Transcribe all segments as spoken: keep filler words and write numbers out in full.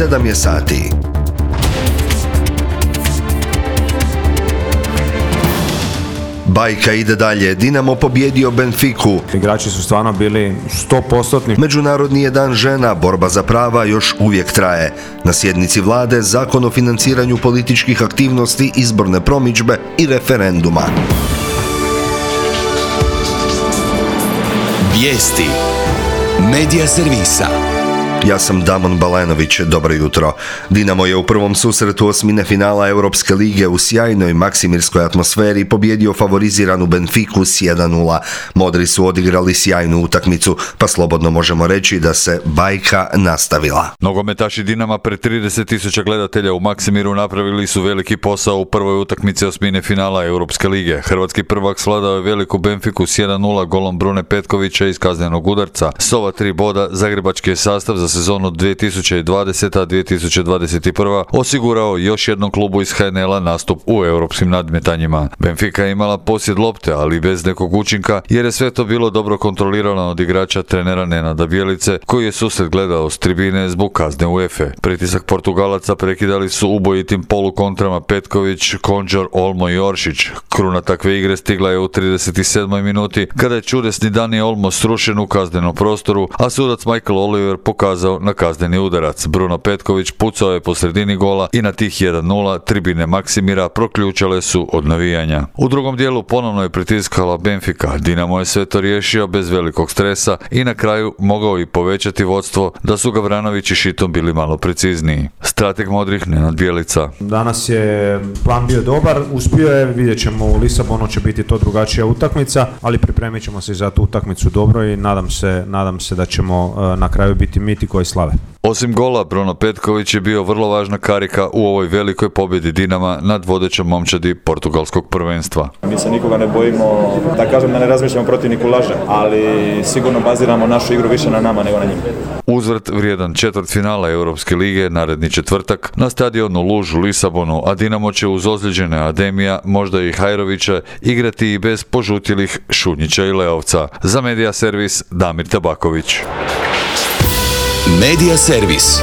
sedam je sati. Bajka ide dalje. Dinamo pobjedio Benfiku. Igrači su stvarno bili sto posto. Međunarodni je dan žena, borba za prava još uvijek traje. Na sjednici vlade Zakon o financiranju političkih aktivnosti, izborne promidžbe i referenduma. Vijesti Medija servisa. Ja sam Damon Balenović, dobro jutro. Dinamo je u prvom susretu osmine finala Europske lige u sjajnoj maksimirskoj atmosferi pobjedio favoriziranu Benfiku s jedan nula. Modri su odigrali sjajnu utakmicu, pa slobodno možemo reći da se bajka nastavila. Nogometaši Dinama pred trideset tisuća gledatelja u Maksimiru napravili su veliki posao u prvoj utakmici osmine finala Europske lige. Hrvatski prvak svladao je veliku Benfiku s jedan nula golom Brune Petkovića iz kaznenog udarca. S ova tri boda zagrebački je sastav za sezonu dvije tisuće dvadeseta dvije tisuće dvadeset prva osigurao još jednom klubu iz H N L-a nastup u europskim nadmetanjima. Benfica je imala posjed lopte, ali bez nekog učinka, jer je sve to bilo dobro kontrolirano od igrača trenera Nenada Bjelice, koji je susret gledao s tribine zbog kazne UEFA. Pritisak Portugalaca prekidali su ubojitim polukontrama Petković, Konđor, Olmo i Oršić. Kruna takve igre stigla je u trideset sedmoj minuti, kada je čudesni Dani Olmo srušen u kaznenom prostoru, a sudac Michael Oliver pokazao na kazneni udarac. Bruno Petković pucao je po sredini gola i na tih jedan nula tribine Maksimira proključale su od navijanja. U drugom dijelu ponovno je pritiskala Benfica. Dinamo je sve to riješio bez velikog stresa i na kraju mogao i povećati vodstvo da su Gavranović i Šitom bili malo precizniji. Strateg modrih Nenad Bjelica. Danas je plan bio dobar, uspio je, vidjet ćemo u Lisabonu će biti to drugačija utakmica, ali pripremit ćemo se za tu utakmicu dobro i nadam se, nadam se da ćemo na kraju biti miti koji slave. Osim gola, Bruno Petković je bio vrlo važna karika u ovoj velikoj pobjedi Dinama nad vodećom momčadi portugalskog prvenstva. Mi se nikoga ne bojimo, da kažem da ne razmišljamo protivniku laže, ali sigurno baziramo našu igru više na nama nego na njima. Uzvrt vrijedan četvrtfinala Europske lige naredni četvrtak na stadionu Luž u Lisabonu, a Dinamo će uz ozlijeđene Ademija, možda i Hajrovića, igrati i bez požutilih Šunjića i Leovca. Za Medija servis Damir Tabaković. Medija servis.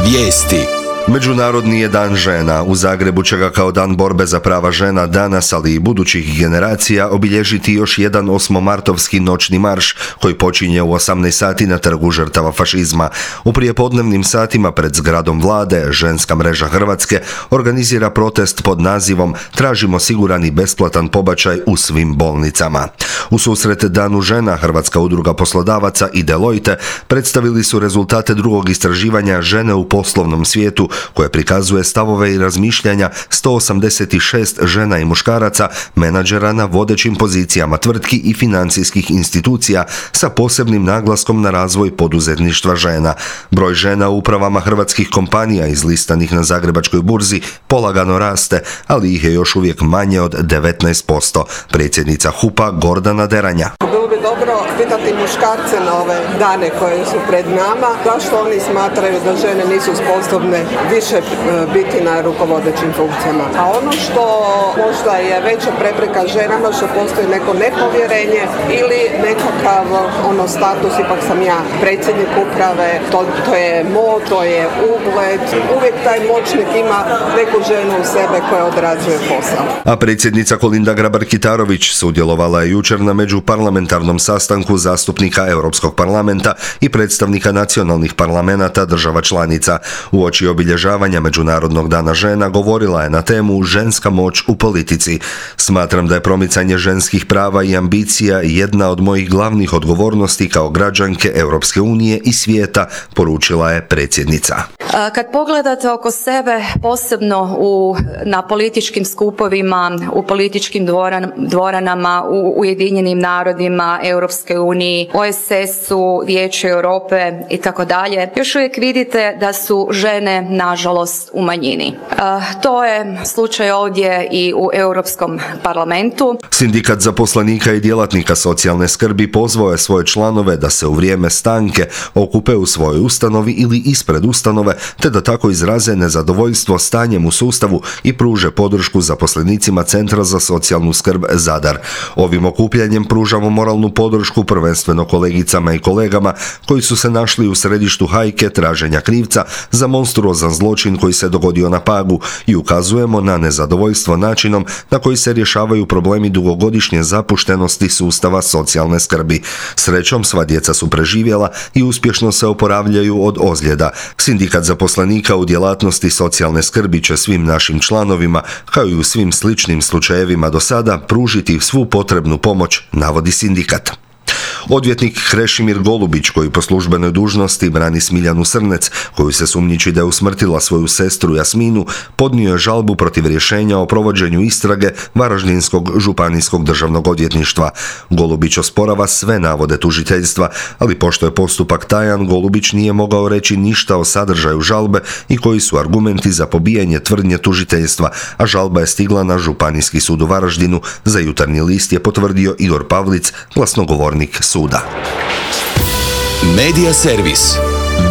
Vijesti. Međunarodni je dan žena. U Zagrebu će ga kao dan borbe za prava žena danas, ali i budućih generacija, obilježiti još jedan osmomartovski noćni marš koji počinje u osamnaest sati na trgu žrtava fašizma. U prijepodnevnim satima pred zgradom vlade Ženska mreža Hrvatske organizira protest pod nazivom Tražimo siguran i besplatan pobačaj u svim bolnicama. U susret Danu žena Hrvatska udruga poslodavaca i Deloitte predstavili su rezultate drugog istraživanja Žene u poslovnom svijetu, koje prikazuje stavove i razmišljanja sto osamdeset šest žena i muškaraca, menadžera na vodećim pozicijama tvrtki i financijskih institucija sa posebnim naglaskom na razvoj poduzetništva žena. Broj žena u upravama hrvatskih kompanija izlistanih na Zagrebačkoj burzi polagano raste, ali ih je još uvijek manje od devetnaest posto. Predsjednica H U P-a Gordana Deranja. Bilo bi dobro pitati muškarce na ove dane koje su pred nama, zašto oni smatraju da žene nisu sposobne više biti na rukovodećim funkcijama. A ono što možda je veća prepreka ženama, što postoji neko nepovjerenje ili nekakav ono status, ipak sam ja predsjednik uprave, to, to je moć, to je ugled. Uvijek taj moćnik ima neku ženu u sebe koja odrađuje posao. A predsjednica Kolinda Grabar-Kitarović sudjelovala je jučer na međuparlamentarnom sastanku zastupnika Europskog parlamenta i predstavnika nacionalnih parlamenata država članica. Uoči obilježavanja Međunarodnog dana žena govorila je na temu ženska moć u politici. Smatram da je promicanje ženskih prava i ambicija jedna od mojih glavnih odgovornosti kao građanke Europske unije i svijeta, poručila je predsjednica. Kad pogledate oko sebe, posebno u, na političkim skupovima, u političkim dvoran, dvoranama, u Ujedinjenim narodima, Europske uniji, O S S-u, Vijeću Europe i tako dalje, još uvijek vidite da su žene nažalost u manjini. E, to je slučaj ovdje i u Europskom parlamentu. Sindikat zaposlenika i djelatnika socijalne skrbi pozvao je svoje članove da se u vrijeme stanke okupe u svojoj ustanovi ili ispred ustanove, te da tako izraze nezadovoljstvo stanjem u sustavu i pruže podršku zaposlenicima Centra za socijalnu skrb Zadar. Ovim okupljanjem pružamo moralnu podršku prvenstveno kolegicama i kolegama koji su se našli u središtu hajke traženja krivca za monstruozan zločin koji se dogodio na Pagu i ukazujemo na nezadovoljstvo načinom na koji se rješavaju problemi dugogodišnje zapuštenosti sustava socijalne skrbi. Srećom, sva djeca su preživjela i uspješno se oporavljaju od ozljeda. Sindikat zaposlenika u djelatnosti socijalne skrbi će svim našim članovima, kao i u svim sličnim slučajevima do sada, pružiti svu potrebnu pomoć, navodi sindikat. Odvjetnik Krešimir Golubić, koji po službenoj dužnosti brani Smiljanu Srnec, koju se sumnjiči da je usmrtila svoju sestru Jasminu, podnio je žalbu protiv rješenja o provođenju istrage Varaždinskog županijskog državnog odvjetništva. Golubić osporava sve navode tužiteljstva, ali pošto je postupak tajan, Golubić nije mogao reći ništa o sadržaju žalbe i koji su argumenti za pobijanje tvrdnje tužiteljstva, a žalba je stigla na Županijski sud u Varaždinu. Za Jutarnji list je potvrdio Igor Pavlic, glasnogovornik suda. Medija servis.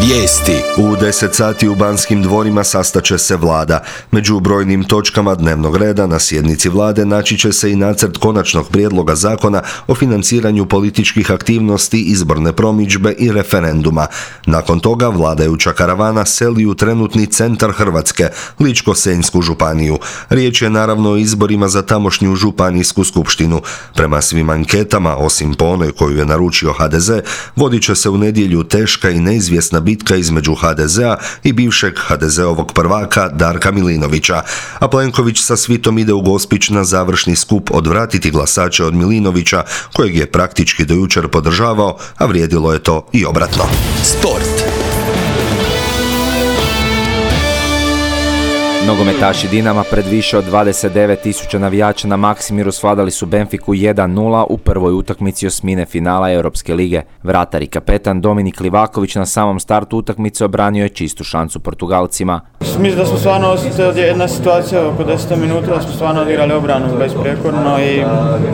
Vijesti. U deset sati u Banskim dvorima sastaće se vlada. Među brojnim točkama dnevnog reda na sjednici vlade naći će se i nacrt konačnog prijedloga zakona o financiranju političkih aktivnosti, izborne promidžbe i referenduma. Nakon toga vladajuća karavana seli u trenutni centar Hrvatske, Ličko-senjsku županiju. Riječ je naravno o izborima za tamošnju županijsku skupštinu. Prema svim anketama, osim po onoj koju je naručio ha de ze, vodit će se u nedjelju teška i neizvjesna bitka između ha de zea i bivšeg ha de zeovog prvaka Darka Milinovića, a Plenković sa svitom ide u Gospić na završni skup odvratiti glasače od Milinovića, kojeg je praktički do jučer podržavao, a vrijedilo je to i obratno. Sport. Nogometaši Dinama pred više od dvadeset devet tisuća navijača na Maksimiru svladali su Benfiku jedan nula u prvoj utakmici osmine finala Europske lige. Vratar i kapetan Dominik Livaković na samom startu utakmice obranio je čistu šansu Portugalcima. Mislim da smo stvarno osjetili jedna situacija oko deset minuta, da smo stvarno odigrali obranu besprijekorno i,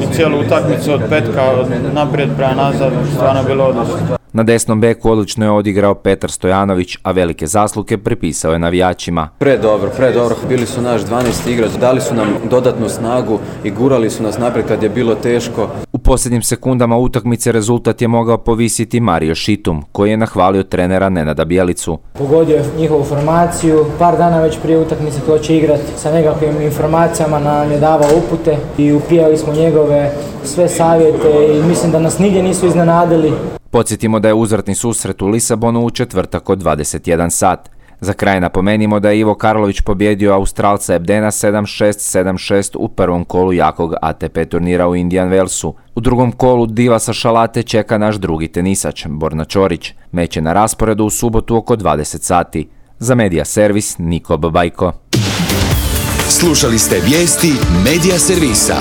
i cijelu utakmicu od petka od naprijed prema nazad stvarno bilo odlično. Na desnom beku odlično je odigrao Petar Stojanović, a velike zasluge pripisao je navijačima. Pre dobro, pre dobro, bili su naš dvanaesti igrač, dali su nam dodatnu snagu i gurali su nas naprijed kad je bilo teško. U posljednjim sekundama utakmice rezultat je mogao povisiti Mario Šitum, koji je nahvalio trenera Nenada Bjelicu. Pogodio je njihovu formaciju, par dana već prije utakmice ko će igrati sa nekakvim informacijama, nam je davao upute i upijali smo njegove sve savjete i mislim da nas nigdje nisu iznenadili. Podsjetimo da je uzvratni susret u Lisabonu u četvrtak od dvadeset jedan sat. Za kraj napomenimo da je Ivo Karlović pobjedio Australca Ebdena sedam šest sedam šest u prvom kolu jakog a te pe turnira u Indian Wellsu. U drugom kolu diva sa Šalate čeka naš drugi tenisač, Borna Ćorić. Meč je na rasporedu u subotu oko dvadeset sati. Za Medija servis, Niko Babajko. Slušali ste vijesti Medija servisa.